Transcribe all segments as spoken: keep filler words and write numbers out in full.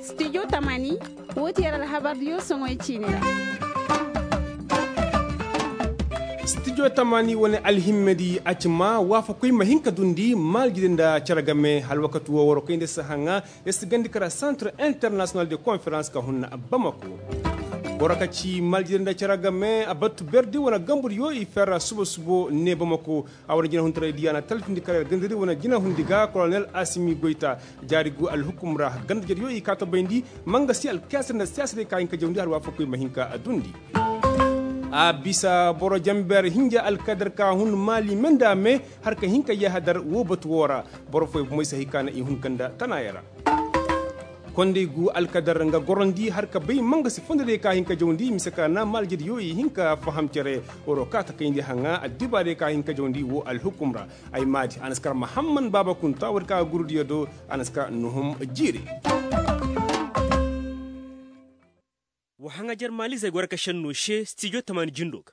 Studio tamani, woo ti yer alhabardiyo soŋoy ciini ra. Studio tamani wane alhimmedi a ci maa waafakoy ma hin ka dundi maalijidi nda cere game hala wakati woo waroo kayndi si haŋa. Yer si gandi kara centre international de conférence ka hun bamako. Boro ka ci maalijidi nda cere game a batu berdi wane gambudiyo i fer suba subo ne bamako. A wane jinahuntaray diya na talfindi kara yer gandadi wane jinahundi ga kolonel asimi goyta. Jaari gu alhukum ra gandajediyo i kaa ta bayndi. Mangasi alkesir nda siyaasadiyo ka hin ka jawndi hala waafakoy ma hin ka dundi. A bisa boro jamber hinja alkadar ka hun maali menda me har ka hin ka yahadar woo batu woo ra. Boro fooyoo bomey si hay ka na i hun ganda tanaayoo ra. Konday gu alkadar nga gorandi har ka bay mangasi fondodiyo ka hin ka jawndi mise ka na maalijediyo i hin ka faham cere. Waroo kaa ta kayndi haŋa addibaadiyo ka hin ka jawndi woo alhukum ra. Ay maadi a na si kar mahamman baaba kunta woodi ka gurudiyo do. A na si kar nuhum jiiri. Wa haŋajer maalizey goro ka šennoo se stijo tamaani jindoo ga.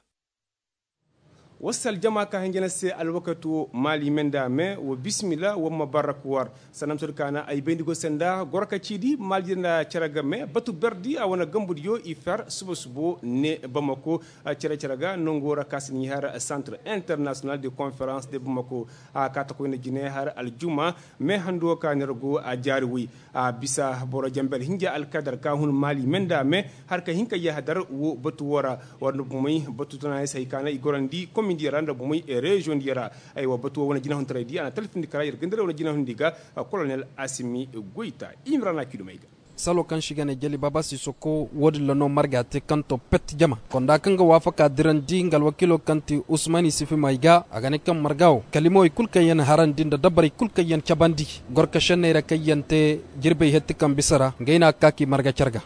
Wa si aljama ka hinja na se alwakati woo maali me nda me wa bisimila wa ma barrak war. Sanda ma soodi ka na ay bayndi go se nda goro ka ciidi maali nda cere ga me batu berdi a wane gambudiyo i fer suba subo ne bamako. Cere cere ga nongoo ra ka si n'i har centre international de conférence de bamako. A kaa ta koy nda jine har aljuma. Me handu woo ka neera go a jaari woy. A bisa boro jamber hinja alkadar ka hun maali me nda me har ka hin ka yahadar woo batu woo ra. War nda bomey batu tanaayoo si hay ka na i gorandi komindiyo ra nda bomey reziyoŋdiyo ra. Aywa batu woo wane jinahuntaraydi a na talfindi kara yer gandara wane jinahundi ga. Kolonel asimi goyta. Imrana kidumey ga. Saloo kaŋ se i ga ne jali baaba sisoko woodin ra no marga te kaŋ to pet jama konda kaŋ ga waafaka dirandi nga alwakiiloo kaŋ ti usmani sifi may ga a ga ne kaŋ marga woo kalimawey kul kaŋ yaŋ harandi nda dabbarey kul kaŋ yaŋ cabandi gorka šenney ra kaŋ yaŋ te jirbey hetti kaŋ bisa ra ngey no a ga ka k'i marga care ga.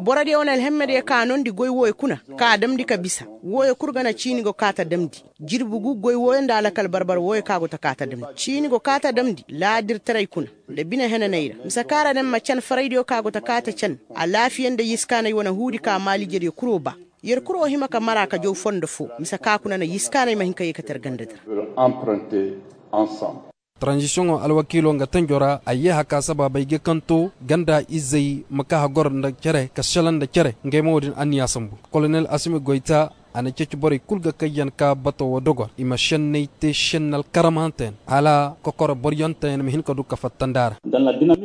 Borodiyo wane alhemmediyo ka noondi goy wooyo kuna ka a damndi ka bisa. Wooyo kul ga na ciini go kaa ta damndi. Jirbi gu goy wooyo nda alakal barbar wooyo ka go ta kaa ta damndi ciini go kaa ta damndi laadirtaray kuna. Nda bine henaney ra mise ka ra ne ma can faraydiyo ka go ta kaa ta can. Alaafiya nda yiskaanay wane huudi ka maalijediyo kuroo ba. Yer kuroo hima ka mara ka jaw fondo foo mise ka kuna na yiskaanay ma hin ka yee ka ter gandadi ra. Taranzisiyoŋo alwakiiloo nga tanjo ra a yee haka sabaabey ga kaŋ to ganda izey ma kaa hagor nda cere ka selaŋ nda cere ngey ma woodin anniya sambu. Kolonel asimi goyta a na ceeci borey kul ga kaŋ yaŋ kaa bato woo dogor i ma šenney te šenni alkaramahantey yaŋ hala kokoro boryanteyaŋ ma hin ka du ka fattandi a ra.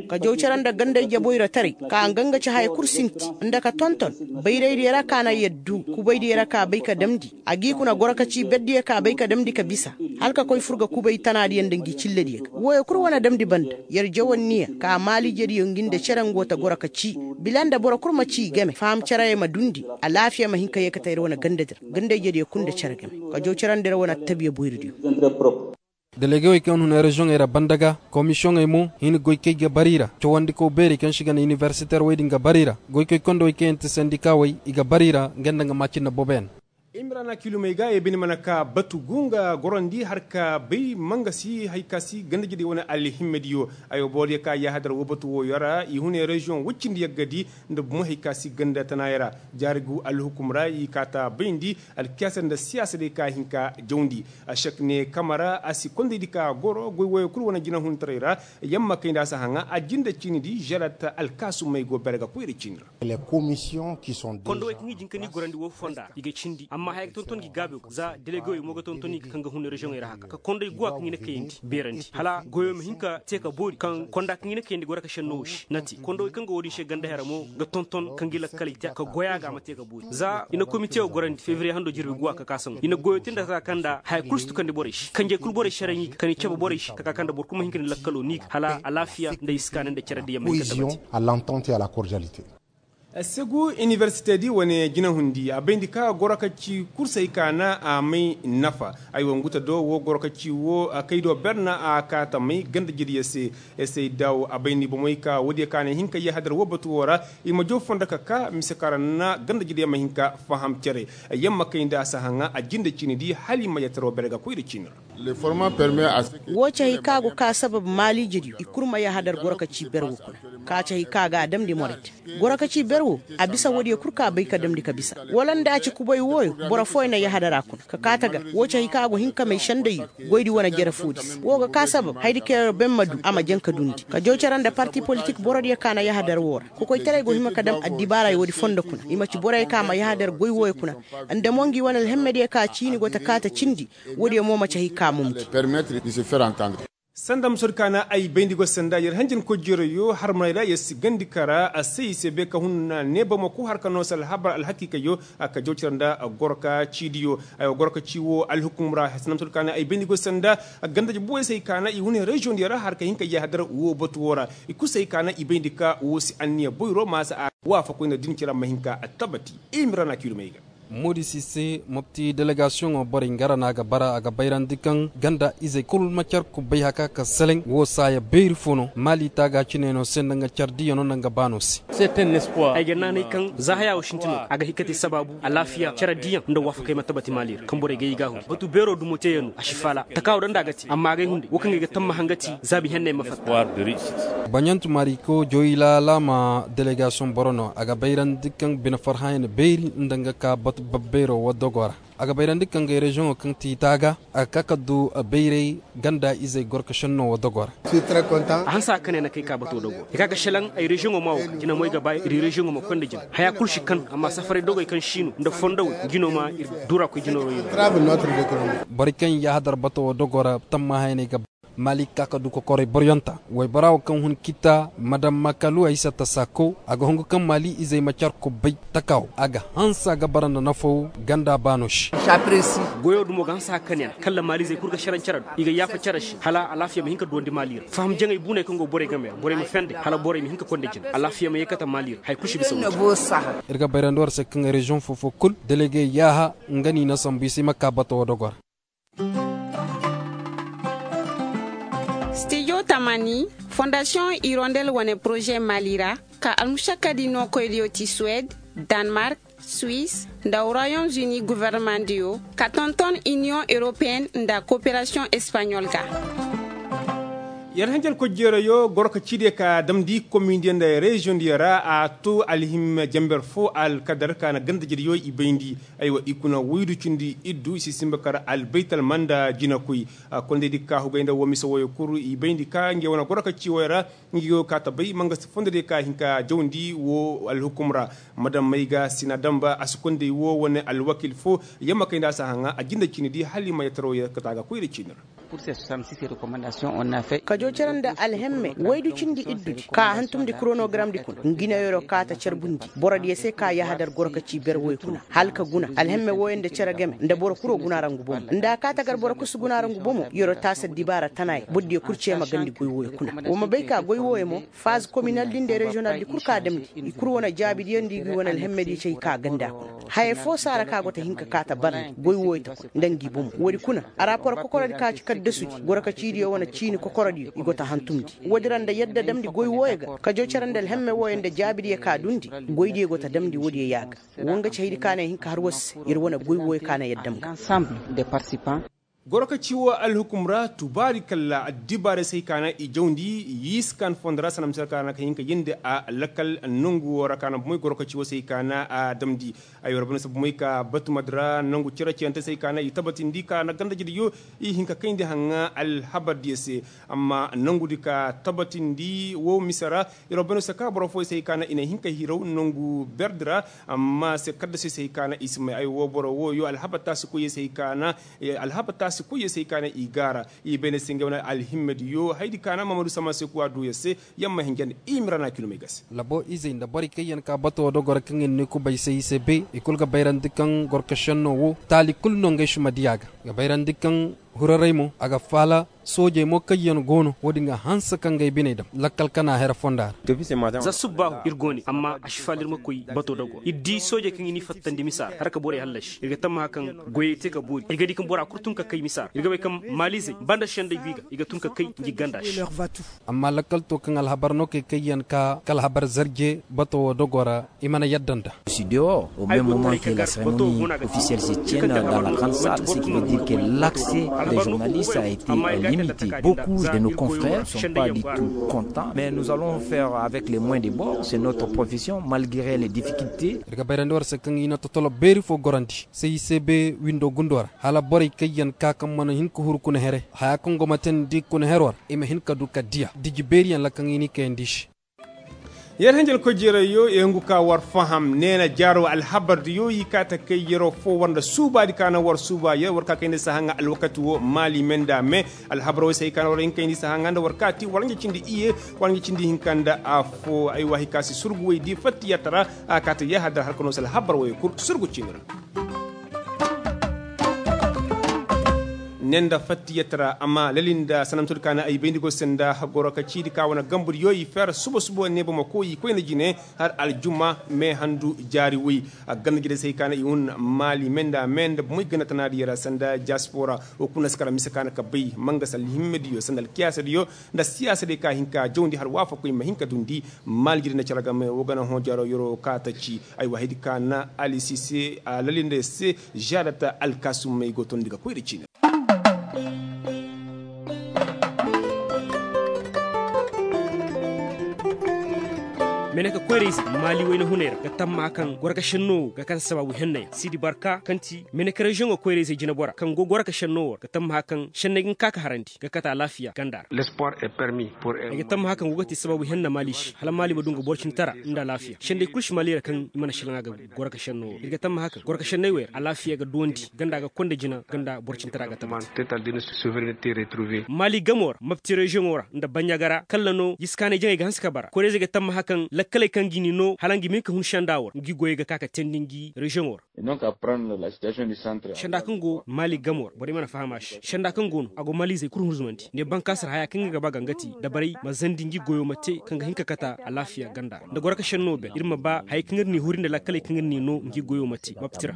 Ka jaw cere nda gandey jaboy ra taray ka nga nga ci haya kul sinti nda ka tonton bayraydiyo ra ka na yaddu kubaydiyo ra ka bay ka damndi. A g'i kuna goro ka ci berdiyo ka bay ka damndi ka bisa hala ka koy fur ga kubay tanaadiyo nda ngi cillediyo ga wooyo kul wane damndi banda. Yer jawanniya ka maalijediyo ngi nda cere ngo ta goro ka ci bila nda boro kul ma ci i game faham cereye ma dundi. Alaafiya ma hin ka yee ka ta yer wane gandadi ra gandayjediyo kul nda cere game ka jaw cerandi ra wane attabiya boyridiyo. Delegewey kaŋ hun reziyoŋey ra banda ga komisiyoŋey mo hin goy kaŋ i ga bar i ra cawandikaw beerey kaŋ se i ga ne iniversiteer wey din ga bar i ra goykoy kondawey kaŋ yaŋ ti sendikawey i ga bar i ra nga nda nga maacinna boboyaŋ. Imrana kilumey ga ye bine mana ka batu gu nga gorandi har ka bay mangasi hay ka si gandajediyo wane alhimmediyo. Ay wa boodiyo ka yaahadar woo batu wooyo ra i hune reziyoŋ woy cindi yaggadi nda bumo hay ka si ganda tanaayoo ra. Jaari gu alhukum ra i kaa ta bayndi alkiyasa nda siyaasa day ka hin ka jawndi. Ašek ne kama ra a si kondaydi ka goro goy wooyo kul wane jinahuntaray ra. Yamma kay nda a si haŋa a jinde ciinidi žerat alkaasumey go bere ga koyra ciini ra. Kondowey kaŋ i jin ka ni gorandi woo fonda i ga cindi amma haya ga tonton ngi gaabiyo ga za delegewey mo ga tonton i ga kaŋ ga hun reziyoŋey ra haka ka kondoy guwa kaŋ i na kayandi beerandi hala goyo ma hin ka te ka boori kaŋ konda kaŋ i na kayandi goro ka šenno wo se na te kondowey kaŋ ga woodin se ganda hera mo ga tonton kaŋ ga i lakkaley te ka goya ga a ma te ka boori za i na komite wo gorandi fevriye hando jirbi guwa ka ka saŋo i na goyo te nda ka ka nda haya kul si tukandi borey se kanjey kul borey se ra ni ga ka ni cabe borey se ka ka kaŋ nda boro kul ma hin ka ni lakkalo ni ga hala alaafiya nda iskaana nda care diyaŋ ma hin ka tabati. Segu inibersitedi wane jinahundi a bayndi ka goro ka ci kursey ka na a may nafa. Ay wo nguta do wo goro ka ci wo kay do berna a ka ta may ganda jediya se. Esey daw a bayndi bomey ka wodiya ka na hin ka yahadar wo batu wo ra i ma jow fondo ka ka mise ka ra na ganda jediya ma hin ka faham cere. Yamma kay nda a si haŋa a jinde ciini di hala i ma yataro bere ga koy da ciini ra. Woo ci hay ka go ka sabab maaliijediyo i kul ma yahadar goro ka ci ber woo kuna, ka ci hay ka ga a damndi morayte. Goro ka ci ber woo a bisa woodiyo kul ka bay ka damndi ka bisa. Wala nda a ci kubay wooyo boro fooyo na yahadar a kuna ka kaa tagar. Woo ci hay ka go hin ka may sendayyo goydi wane jere foodi se woo ga ka sabab hayadi kaŋ yer ben ma du a ma jaŋ ka dundi ka joocara nda parti politik borodiyo ka na yahadar woo ra. Kokoytaray go hima ka dam addibaarey woodi fondo kuna i ma ci borey ka ma yahadar goy wooyo kuna. Nda mo ngi wane alhemmediyo ka ciini go ta kaa ta cindi. Woodiyo mo ma ci hay ka mumdi. Sanda ma sodi ka na ay bayndi go sanda yer hanjankoy jeerayoo harmaney ra yer si gandi kara a se i se bay ka hun na nee bamako har ka noo se alhabar alhakiikayoo. Ka jawcar nda gorka ciidiyo. Ay wa gorka cii woo alhukum ra sanda ma sodi ka na ay bayndi go sanda gandaje buwey se hay ka na i hun reziyoŋdiyo ra har ka hin ka yahadar woo batu woo ra. I kul se hay ka na i bayndi ka woo si anniya boyro maasa a waafakoy nda din cere ma hin ka tabati. I ma ra na kiidu may ga. Moodi si se mopti delegasiyoŋo borey nga ra no a ga bara a ga bayrandi kaŋ ganda izey kul ma car kubbay haka ka seleŋ woo saaya beeri fo no maali taaga cine no se nda nga car diya no nda nga baano se. Ay ga naanay kaŋ za haya wo sinti no a ga hikati sabaabu alaafiya cere diyaŋ nda waafakey ma tabati maali ra kaŋ borey ga i gaahuri batu beero dumo teeyaŋ no a si faala taka wo daŋ nda a ga te amma a ga ay hunday wo kaŋ ga ay ga tammaha nga ti zaabi henney ma fatta. Baɲantu maari ko joyla laama delegasiyoŋ boro no a ga bayrandi kaŋ bine farhãyaŋ beeri nda nga ka batu babbeero wo dogo ra. A ga bayrandi kaŋ ga reziyoŋo kaŋ ti taaga a ga ka ka du bayray ganda izey gorka šenno wo dogo ra. A hanse a kane na kay ka bato dogo i ka ga šelaŋ ay reziyoŋo ma wo ka jina moy ga ba ir reziyoŋo ma koy nda jina haya kul si kan amma safaray dogey kaŋ si no nda fondowey ngi no ma ir dura koy jina wo. Borey kaŋ yahadar bato wo dogo ra tammahayaney ga ba maali ka ka du kokorey boriyonta woybora wo kaŋ hun kita madam makalu ay sata sako a ga hungu kaŋ maali izey ma car kubbay taka wo a ga hanse a ga bara nda nafaw ganda baano se. Goyo dumo ga hanse a kane ra kalla maali izey kul ga šeraŋ cere do i ga yaafa cere se hala alaafiya ma hin ka duwandi maali ra faham jaŋey buuney kaŋ go borey game ra borey ma fende hala borey ma hin ka konda jina alaafiya ma yeekata maali ra haya kul si bisa. Ir ga bayrandi war se kaŋ reziyoŋ foo-foo kul delege yaaha nga no i na sambu i se i ma ka bato wo dogo ra. Stijo tamani fondasiyoŋ irondel wane poroze maali ra ka almušakkadi nookoydiyo ti suwed, danmark, suis, nda royaume-uni governemandiyo ka tonton iniyoŋ europeyen nda koperasiyoŋ espaɲol ga. Yer hanjankoy jeerayo goro ka ciidiyo ka damndi komindiyo nda reziyoŋdiyo ra a to alhim jenber fo alkadar ka na gandajediyo i bayndi. Aywa i kuna woydu cindi iddu i si simba kar albaytalma nda jinakoy. Kondaydi ka hugay nda wo mise woyo kul i bayndi ka ngey wane goro ka ci woyo ra. Ngey go ka ta bay mangasi fondodiyo ka hin ka jawndi wo alhukum ra. Madam may ga sina damba a si konday wo wane alwakil fo. Yamma kay nda a si a haŋa a jinde ciini di hala i ma yataro yee ka ta ga koyra ciini ra. Kajo cere nda alhemme waydu cindi iddudi ka a hantumndi koronogaramdi kuna ngi no yeroo kaata carbundi borodiyo se ka yahadar goro ka ci ber woy kuna hala ka guna alhemme wooyo nda cere game nda boro kul wo guna ra ngu bomo nda a kaata gar boro kul si guna ra ngu bomo yeroo taasa dibaara tanaayo borodiyo kul cee ma gandi goy wooyo kuna. Wa ma bay ka goy wooyo mo faaz kominaldi nda reziyonaldi kul ka damndi i kul wane jaabidiyo nda i gi wane alhemmediyo cay ka ganda kuna. Haya foo saara ka go ta hin ka kaata barndi goy wooyo ta kuna nda ngi bomo woodi kuna. Araapor kokorodi ka ci kaddasudi goro ka ciidiyo wane ciini kokorodiyo i go ta hantumndi. Woodi ra nda yadda damndi goy wooyo ga kajo cere nda alhemme wooyo nda jaabidiyo ka dundi goydiyo go ta damndi woodiyo yaa ga. Wo nga ci haydi ka na ay hin ka har war se yer wane goy wooyo ka na yadda ma ga. Goro ka ci woo alhukum ra tubaari kalla addibaarey se hay ka na i jawndi. Yiskan fondo ra sanda mise ra ka na ka hin ka yeendi a lakal nongu woo ra ka na bomoy goro ka ci woo se hay ka na a damndi. Ay war bane se bomoy ka batumadi ra nongu cere ciyante se hay ka na i tabatindi ka na gandajediyo i hin ka kayndi haŋa alhabardiyo se. Amma nongudi ka tabatindi woo mise ra. Yer war bane se ka boro fooyo se hay ka na i na hin ka hiraw nongu berdi ra. Amma se kaddasey se hay ka na i si may ay woo boro wooyo alhabar taasi koyey se hay ka na alhaba taasi koyey se hay ka na i gaara. I bayna se ngey wane alhimmediyo haydi ka na mamadu sama se kuwa duuya se. Yamma hinjan i mira na kilomey ga se. Labo izey nda borey kaŋ yaŋ ka bato dogoro kaŋ yaŋ ne kubay se i se be i kulu ga bayrandi kaŋ gorkašenno wo taali kulu no ngey si ma diya ga. Ga bayrandi kaŋ huraray mo a ga faala. Soojey mo kaŋyaŋ go no wo- din ga hanse ka ngey biney dam lakkal kana here fonda ra. Za subbaahu ir go ne amma a si faala ir ma koy bato dago ir di soojey kaŋ i n'i fattandi misa ra har ka borey hallasi ir ga tammaha kaŋ goyey te ka boori ir ga di kaŋ bora kul tun ka kay misa ra ir ga bay kaŋ maaliizey banda sendey go i ga i ga tun ka kay ngi ganda se. Amma lakkal to kaŋ alhabar no kay kayyaŋ ka kala habar zarje bato wo dogo ra i mana yadda nda. Au même moment que la cérémonie officielle se tienne dans la grande salle, ce qui veut dire que l'accès des journalistes a été limité. Beaucoup de nos confrères sont pas du tout contents, mais nous allons faire avec les moins de bord, c'est notre profession malgré les difficultés. Ir ga bayrandi war se kaŋ i na totolo beeri fo gorandi se i se be windo gundo ra hala borey kaŋ yaŋ ka kaŋ mana hin ka huru kuna here haya kaŋ go ma teendi kuna hero ra i ma hin ka du ka diya diji beeriyaŋ ra kaŋ i n'i kayandi se. Yer hanjel koy jeerayyo i hungu ka war faham neena jaaro alhabardiyo i kaa ta kay yeroo fo war nda suubaadi ka na war suuba yer war ka kayndi sahaŋa alwakati wo maali me nda me. Alhabar wo se hay ka na war hin kayndi sahaŋa nda war kaati war ɲa cindi iye war ɲa cindi hinka nda afo ay waahi ka si surgu way di fattiyatara a kaa ta yahadar har ka no se alhabar wo ye kul surgu ciini ra. Ne nda fattiyatara amma lali nda sanamtudi ka na ay bayndi go se nda goro ka ciidi ka wane gambudiyo i feera suba suba ne bamako i koyna jine har aljuma me handu jaari woy. A ganda jire se hay ka na i hun maali me nda me nda bomoy ganda tanaadiyo ra sanda diaspora wo kuna si kara mise ka na ka bay manga salli himmediyo sanda alkiyaasadiyo nda siyaasadiyo ka hin ka jawndi har waafakoy ma hin ka dundi. Maali jire nda cere game wo gana hõ jaro yero ka ta ci ay waahidi ka na alisise a lali nda se. Jaadata alkaasumey go tondi ga koy nda ciini ra. Meneka koyrayze maali wayna hunay ra ga tammaha kaŋ gorka shenno wo ga kate sabaabu henna yaŋ siidi barka kaŋ ti meneka reziyoŋo koyrayze jinebora kaŋ go gorka shenno wo ra ga tammaha kaŋ shenney ga hin ka ka harandi ga kate alaafiya ganda ra. Ay ga tammaha kaŋ go ga te sabaabu henna maali se hala maali ma du nga boro cindi tara nda alaafiya shendey kulu si maali ra kaŋ i mana shalaŋa ga gorka shenno wo ra ir ga tammaha kaŋ gorka shenney wey ra alaafiya ga duwandi ganda ga konda jina ganda boro cindi tara ga tabbati. Maali gamo ra mapti reziyoŋo ra nda baɲɲaga ra kalla no yiskaanay jaŋay ga hanse ka bara koreezey ga tammaha kaŋ lakkaley kaŋ ga i ni no hala nga i ma hin ka hun senda wo ra ngi goyey ga ka ka teendi ngi reziyoŋo ra. Senda kaŋ go maali gamo ra borey mana faham a se senda kaŋ go no a go maalizey kul hunzumandi ne bankaasi ra haya kaŋ ga ba ga nga te dabarey ma zandi ngi goyo ma te kaŋ ga hin ka kata alaafiya ganda ra nda goro ka senno ben ir ma ba hayey kaŋ ir n'i huri nda lakkaley kaŋ ir n'i no ngi goyo ma te mapti ra.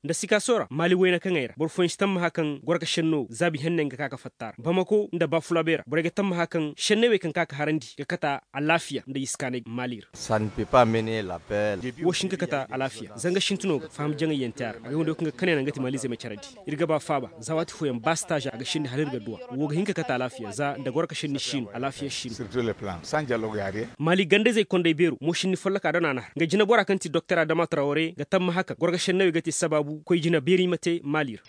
Nda sikaaso ra maali wayna kaŋey ra boro fooyaŋ si tammaha kaŋ goro ka senno zaabi henney nga ka ka fatta ra bamako nda baafulabey ra borey ga tammaha kaŋ senney wey kaŋ ka ka harandi ga kata alaafiya nda yiskaanay maali ra. Wo si hin ka kate alaafiya zanga sintino ga faham jaŋayyaŋ te a ra agay wanda wo kaŋ ga kanay naŋ ga ti maalizey ma carandi. Ir ga ba faaba za waati fooyaŋ ba sitaaza a ga sendi hala ir ga duw'a wo ga hin ka kate alaafiya za nda goro ka senni si no alaafiya si no. Maali gandayzey konday beero mo senni folloka dana na har nga jinebora kaŋ ti doktor adama trawre ga tammaha kaŋ goro ka senney wey ga te sabaabu koy jina beeri ma te maali ra.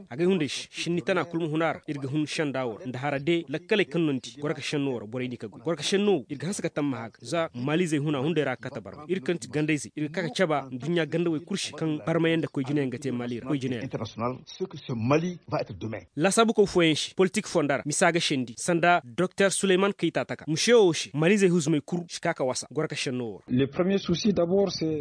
Agay hunday se senni tana kul ma hun a ra ir ga hun senda wo ra nda hara de lakkaley kaŋ nondi goro ka senno wo ra borey n'i ka goy goro ka senno wo ir ga hanse ka tammaha ga za maalizey huna hunday ra ga kate barma ir kaŋ ti gandayzey ir ga ka ga caba nduɲɲa gandawey kul se kaŋ barmayaŋ nda koy jinayaŋ ga te maali ra koy jinayaŋ. Laasaabukoy fooyaŋ se politik fonda ra misa ga sendi sanda doktor suleyman kayta taka muse wo se maalizey huzumey kul si ka ka wasa goro ka senno wo ra.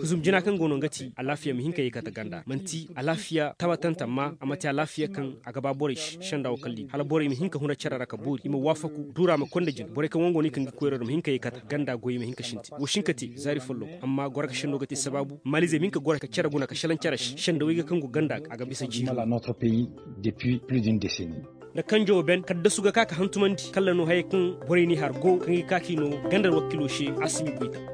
Huzum jina kaŋ go no nga ti alaafiya ma hin ka ye kate ganda manti alaafiya tabatante amma a ma te alaafiya kaŋ a ga ba borey se senda wo kalli hala borey ma hin ka huna cere ra ka boori i ma waafaku duura ma konda jina borey kaŋ wango no i kaŋ ga koyro da ma hin ka ye kate ganda goy ma hin ka sintin wo si hin ka te zaari folloku amma goro ka senno ga te sabaabu maalizey ma hin ka goro ka cere guna ka selaŋ cere se senda wayga kaŋ go ganda ga a ga bisa jiiri. Nda kanjo ben kaddasu ga ka ka hantumandi kalla no hayey kaŋ borey n'i har go kaŋ ga ka k'i no ganda alwakilo se a si ma i goy ta.